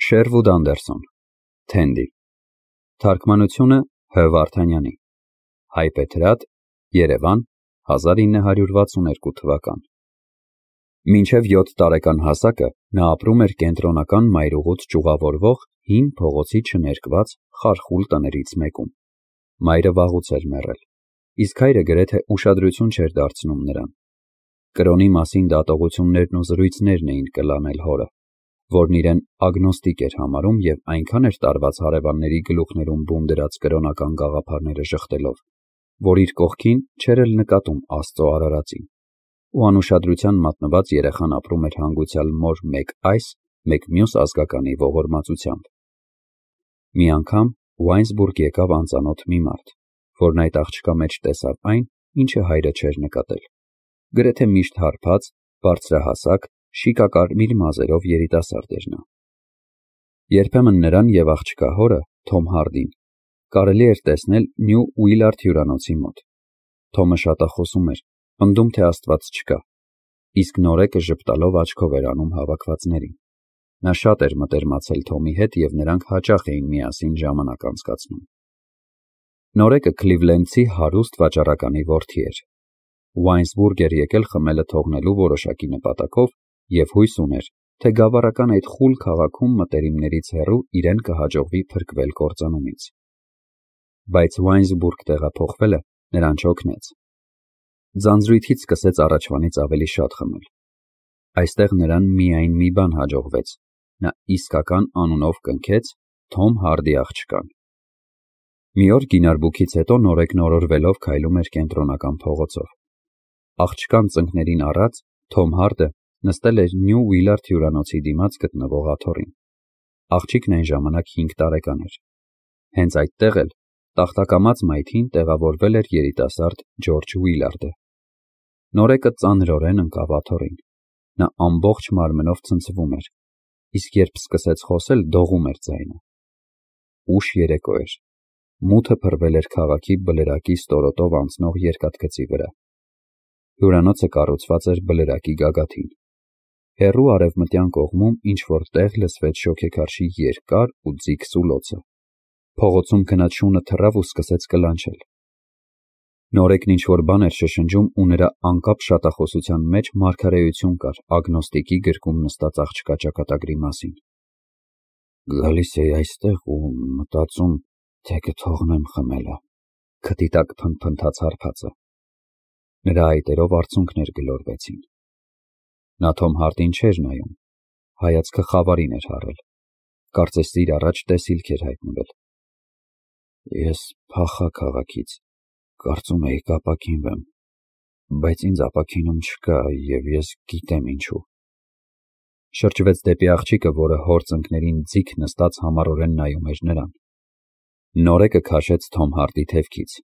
Շերվուդ Անդերսոն, Թենդի, թարգմանությունը Հ. Վարդանյանի, Հայբեթրատ, Երևան, 1962 թվական։ Մինչև 7 տարեկան հասակը նա ապրում էր կենտրոնական մայրուղուց ճյուղավորվող հին փողոցի չներկված խարխուլ տներից մեկում։ Մայրը վաղուց էր մեռել, իսկ հայրը գրեթե ուշադրություն չէր դարձնում նրան։ Կրոնի մասին դատողություններն ու զրույցներն էին կլանել հորը, որն իրեն ագնոստիկ էր համարում և այնքան էր տարված հարևանների գլուխներում բում դրած կրոնական գաղափարները ժխտելով, որ իր կողքին չէր էլ նկատում Աստծո արարածին, ու անուշադրության մատնված երեխան ապրում էր հանգուցյալ մոր մեկ այս, մեկ մյուս ազգականի ողորմածությամբ։ Մի անգամ Ուայնսբուրգ եկավ անծանոթ մի մարդ, որն այդ աղջկա մեջ տեսավ այն, ինչը հայրը չէր նկատել։ Գրեթե միշտ հարբած, բարձրահասակ, շիկակարմիր մազերով երիտասարդ էր նա։ Երբեմն նրան և աղջկա հորը, Թոմ Հարդին, կարելի էր տեսնել Նյու Ուիլարդ հյուրանոցի մոտ։ Թոմը շատախոսում էր, պնդում, թե Աստված չկա, իսկ նորեկը ժպտալով աչքով էր անում հավաքվածներին։ Նա շատ էր մտերմացել Թոմի հետ և նրանք հաճախ էին միասին ժամանակ անցկացնում։ Նորեկը Քլիվլենդցի հարուստ վաճառականի որդի էր։ Ուայնսբուրգ էր եկել խմելը թողնելու որոշակի նպատակով և հույս ուներ, թե գավառական այդ խուլ քաղաքում մտերիմներից հեռու իրեն կհաջողվի փրկվել կործանումից։ Բայց Ուայնսբուրգ տեղափոխվելը նրան չօգնեց։ Ձանձրույթից սկսեց առաջվանից ավելի շատ խմել։ Այստեղ նրան միայն մի բան հաջողվեց. նա իսկական անունով կնքեց Թոմ Հարդի աղջկան։ Մի օր գինարբուքից հետո նորեկն օրորվելով քայլում էր կենտրոնական փողոցով։ Աղջկան ծնկներին առած Թոմ Հարդը նստել էր Նյու Ուիլարդ հյուրանոցի դիմաց գտնվող աթոռին։ Աղջիկն այն ժամանակ 5 տարեկան էր։ Հենց այդտեղ էլ տախտակամած մայթին տեղավորվել էր երիտասարդ Ջորջ Ուիլարդը։ Նորեկը ծանրորեն ընկավ աթոռին։ Նա ամբողջ մարմնով ցնցվում էր, իսկ երբ սկսեց խոսել, դողում էր ձայնը։ Ուշ երեկո էր։ Մութը փռվել էր քաղաքի բլրակի ստորոտով անցնող երկաթգծի վրա։ Հյուրանոցը կառուցված էր բլրակի գագաթին։ Հեռու արևմտյան կողմում ինչ-որ տեղ լսվեց շոգեքարշի երկար ու ձիգ սուլոցը։ Փողոցում քնած շունը թռավ ու սկսեց կլանչել։ Նորեկն ինչ-որ բան էր շշնջում ու նրա անկապ շատախոսության մեջ մարգարեություն կար ագնոստիկի գրկում նստած աղջկա ճակատագրի մասին։ Գալիս էի այստեղ ու մտածում, թե կթողնեմ խմելը, քթի տակ փնթփնթաց հարբածը։ Նրա այտերով արցունքներ գլորվեցին։ Նա Թոմ Հարդին չէր նայում, հայացքը խավարին էր հառել, կարծես իր առաջ տեսիլք էր հայտնվել։ Ես փախա քաղաքից, կարծում էի կապաքինվեմ, բայց ինձ ապաքինում չկա և ես գիտեմ ինչու։ Շրջվեց դեպի աղջիկը, որը հոր ծնկներին ձիգ նստած համառորեն նայում էր նրան։ Նորեկը քաշեց Թոմ Հարդի թևքից։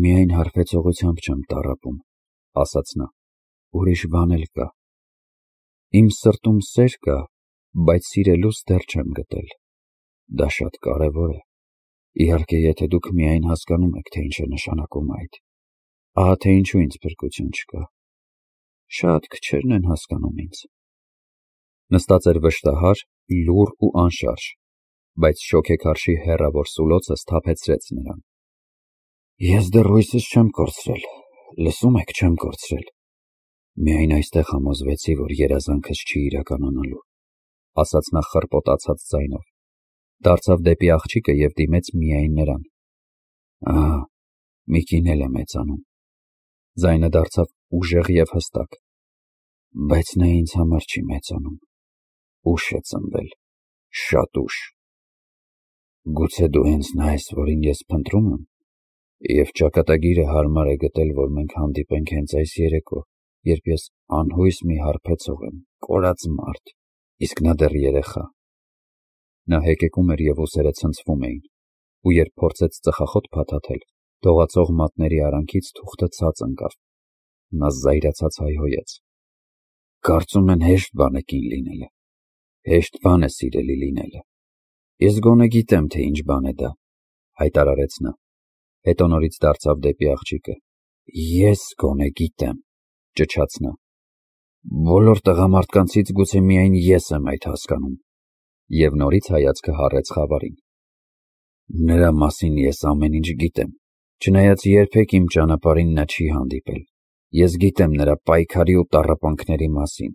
Միայն հարբեցողությամբ չեմ տառապում, ասաց նա, ուրիշ բան էլ կա։ Իմ սրտում սեր կա, բայց սիրելուս դեռ չեմ գտել։ Դա շատ կարևոր է։ Իհարկե, եթե դուք միայն հասկանում եք, թե ինչ է նշանակում այդ։ Ահա թե ինչու ինձ փրկություն չկա։ Շատ քչերն են հասկանում ինձ։ Նստած էր վշտահար, լուռ ու անշարժ, բայց շոգեքարշի հեռավոր սուլոցը սթափեցրեց նրան։ Ես դեռ հույսս չեմ կորցրել, լսում եք, չեմ կորցրել։ Միայն այստեղ համոզվեցի, որ երազանքս չի իրականանալու, ասաց նա խռպոտացած ձայնով։ Դարձավ դեպի աղջիկը և դիմեց միայն նրան։ Ահա, մի կին էլ է մեծանում։ Ձայնը դարձավ ուժեղ և հստակ։ Բայց նա ինձ համար չի մեծանում։ Ուշ է ծնվել, շատ ուշ։ Գուցե դու հենց նա ես, որին ես փնտրում եմ, և ճակատագիրը հարմար է գտել, որ մենք հանդիպենք հենց այս երեկո, երբ ես անհույս մի հարբեցող եմ, կորած մարդ, իսկ նա դեռ երեխա։ Նա հեկեկում էր և ուսերը ցնցվում էին, ու երբ փորձեց ծխախոտ փաթաթել, դողացող մատների արանքից թուղթը ցած ընկավ։ Նա զայրացած հայհոյեց։ Կարծում են հեշտ բան է կին լինելը, հեշտ բան է սիրելի լինելը։ Ես գոնե գիտեմ, թե ինչ բան է դա, հայտարարեց նա։ Հետո նորից դարձավ դեպի աղջիկը։ Ես գոնե գիտեմ, ճչաց նա։ Բոլոր տղամարդկանցից գուցե միայն ես եմ այդ հասկանում։ Եվ նորից հայացքը հառեց խավարին։ Նրա մասին ես ամեն ինչ գիտեմ, չնայած երբեք իմ ճանապարհին նա չի հանդիպել։ Ես գիտեմ նրա պայքարի ու տառապանքների մասին,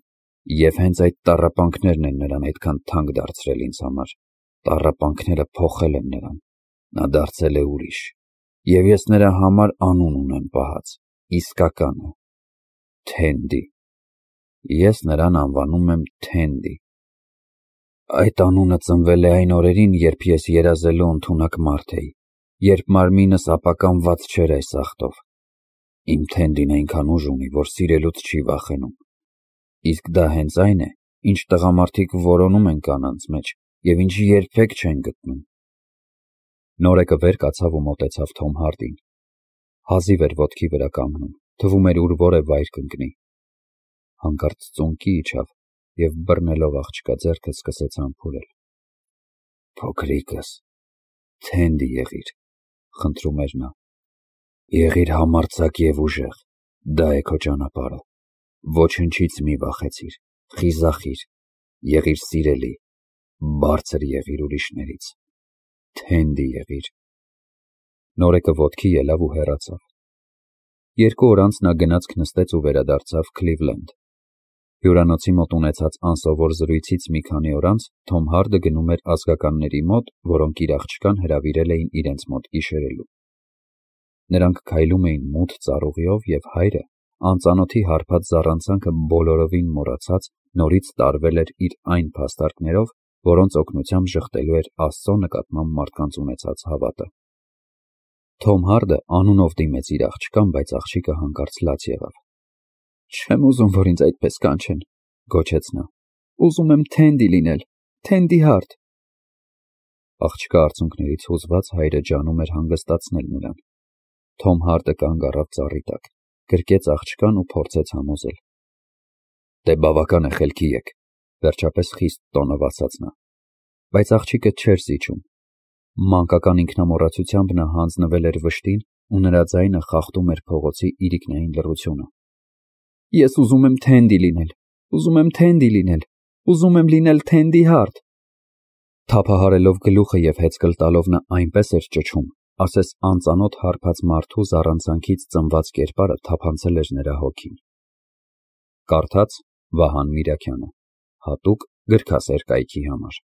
և հենց այդ տառապանքներն են նրան այդքան թանկ դարձրել ինձ համար։ Տառապանքները փոխել են նրան, նա դարձել է ուրիշ, և ես նրա համար անուն ունեմ պահած, իսկականը՝ Թենդի։ Ես նրան անվանում եմ Թենդի։ Այդ անունը ծնվել է այն օրերին, երբ ես երազելու ընդունակ մարդ էի, երբ մարմինս ապականված չէր այս աղտով։ Իմ Թենդին այնքան ուժ ունի, որ սիրելուց չի վախենում։ Իսկ դա հենց այն է, ինչ տղամարդիկ որոնում են կանանց մեջ և ինչ երբեք չեն գտնում։ Նորեկը վեր կացավ ու մոտեցավ Թոմ Հարդին։ Հազիվ էր ոտքի վրա կանգնում, թվում էր ուր որ է վայր կընկնի։ Հանկարծ ծունկի իջավ և բռնելով աղջկա ձեռքը սկսեց համբուրել։ Փոքրիկս, Թենդի եղիր, խնդրում էր նա։ Եղիր համարձակ և ուժեղ, դա է քո ճանապարհը։ Ոչնչից մի վախեցիր, խիզախիր, եղիր սիրելի, բարձր եղիր ուրիշներից, Թենդի եղիր։ Նորեկը ոտքի ելավ ու հեռացավ։ 2 օր անց նա գնացք նստեց ու վերադարձավ Քլիվլենդ։ Հյուրանոցի մոտ ունեցած անսովոր զրույցից մի քանի օր անց Թոմ Հարդը գնում էր ազգականների մոտ, որոնք իր աղջկան հրավիրել էին իրենց մոտ գիշերելու։ Նրանք քայլում էին մութ ծառուղիով, և հայրը, անծանոթի հարբած զառանցանքը բոլորովին մոռացած, նորից տարվել էր իր այն փաստարկներով, որոնց օգնությամբ ժխտելու էր Աստծո նկատմամբ մարդկանց ունեցած հավատը։ Թոմ Հարդը անունով դիմեց իր աղջկան, բայց աղջիկը հանկարծ լաց եղավ։ Չեմ ուզում, որ ինձ այդպես կանչեն, գոչեց նա։ Ուզում եմ Թենդի լինել, Թենդի Հարդ։ Աղջկա արցունքներից հուզված հայրը ջանում էր հանգստացնել նրան։ Թոմ Հարդը կանգ առավ ծառի տակ, գրկեց աղջկան ու փորձեց համոզել։ Դե բավական է, խելքի եկ, վերջապես խիստ տոնով ասաց նա։ Բայց աղջիկը չէր զիջում։ Մանկական ինքնամոռացությամբ նա հանձնվել էր վշտին ու նրա ձայնը խախտում էր փողոցի իրիկնային լռությունը։ Ես ուզում եմ Թենդի լինել, ուզում եմ Թենդի լինել, ուզում եմ լինել Թենդի Հարդ։ Թափահարելով գլուխը և հեծկլ տալով նա այնպես էր ճչում, ասես անծանոթ հարբած մարդու զառանցանքից ծնված կերպարը թափանցել էր նրա հոգին։ Կարդաց Վահան Միրաքյանը, հատուկ գրքասեր կայքի համար։